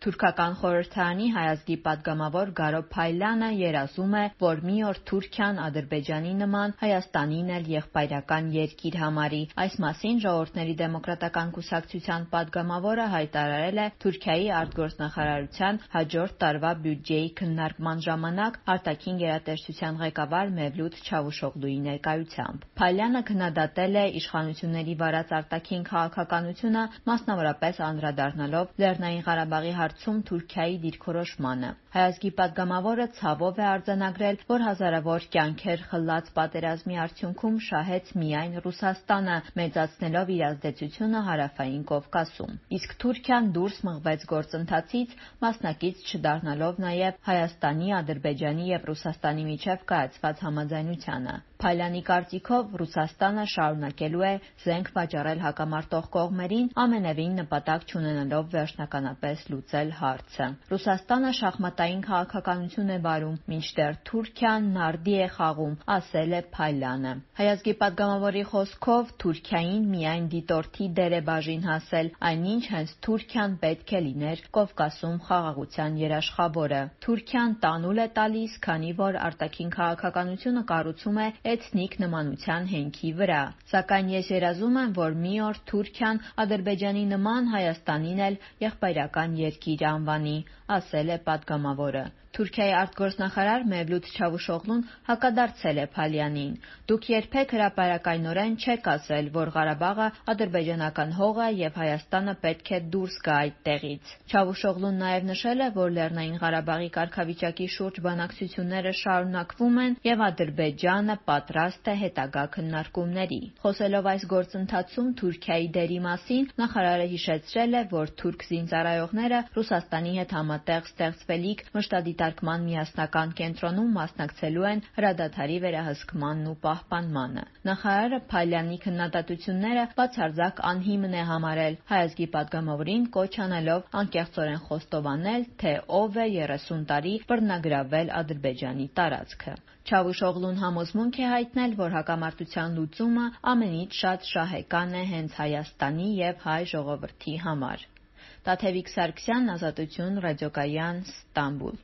Թուրքական խորհրդարանի հայազգի պատգամավոր Գարո Փայլյանը երազում է, որ մի օր Թուրքիան Ադրբեջանի նման Հայաստանին էլ եղբայրական երկիր համարի։ Այս մասին Ժողովուրդների դեմոկրատական կուսակցության պատգամավորը հայտարարել է Թուրքիայի արտգործնախարարության հաջորդ տարվա բյուջեի քննարկման ժամանակ արտաքին գերատեսչության ղեկավար Մևլութ Չավուշօղլուի ներկայությամբ։ Փայլյանը քննադատել է իշխանությունների վարած արտաքին քաղաքականությունը, մասնավորապես անդրադառնալով Լեռնային Ղարաբաղի հարցում Թուրքիայի դիրքորոշմանը։ Հայազգի պատգամավորը ցավով է արձանագրել, որ հազարավոր կյանքեր խլած պատերազմի արդյունքում շահեց միայն Ռուսաստանը, մեծացնելով իր ազդեցությունը Հարավային Կովկասում։ Իսկ Թուրքիան դուրս մղվեց գործընթացից, մասնակից չդառնալով նաև Հայաստանի, Ադրբեջանի եւ Ռուսաստանի միջև կայացված համաձայնությանը։ Փայլյանի կարծիքով Ռուսաստանը շարունակելու է զենք վաճառել հակամարտող կողմերին, ամենևին նպատակ չունենալով վերջնականապես լուծել հարցը։ Ռուսաստանը շախմատային քաղաքականություն է վարում, մինչդեռ Թուրքիան նարդի է խաղում, ասել է Փայլյանը։ Հայազգի պատգամավորի խոսքով Թուրքիային միայն դիտորդի դեր է բաժին հասել, այնինչ հենց Թուրքիան պետք է լիներ Կովկասում խաղաղության երաշխավորը։ Թուրքիան տանուլ է տալիս, քանի որ արտաքին քաղաքականությունը կառուցում է էթնիկ նմանության հենքի վրա։ Սակայն ես երազում եմ, որ մի օր Թուրքիան Ադրբեջանի նման Հայաստանին էլ եղբայրական երկիր անվանի, ասել է պատգամավորը։ Թուրքիայի արտգործնախարար Մևլութ Չավուշօղլուն հակադարձել է Փալյանին։ Դուք երբեք հրապարակայնորեն չեք ասել, որ Ղարաբաղը ադրբեջանական հող է եւ Հայաստանը պետք է դուրս գա այդտեղից։ Չավուշօղլուն նաև նշել է, որ Լեռնային Ղարաբաղի կարգավիճակի շուրջ բանակցությունները շարունակվում են եւ Ադրբեջանը պատրաստ է հետագա քննարկումների։ Խոսելով այս գործընթացում Թուրքիայի դերի մասին, նախարարը հիշեցրել է, որ թուրք զինծառայողները Ռուսաստանի հետ համատեղ ստեղծվելիք մշտադիտարկման միասնական կենտրոնում մասնակցելու են հրադադարի վերահսկմանն ու պահպանմանը։ Նախարարը Փայլյանի քննադատությունները բացարձակ անհիմն է համարել, հայազգի պատգամավորին կոչ անելով անկեղծորեն խոստովանել, թե ով է 30 տարի բռնագրավել Ադրբեջանի տարածքը։ Չավուշօղլուն համոզմունք է հայտնել, որ հակամարտության լուծումը ամենից շատ շահեկան է հենց Հայաստանի եւ հայ ժողովրդի համար։ Տաթևիկ Սարգսյան, Ազատություն, Ռադիոկայան, Ստամբուլ։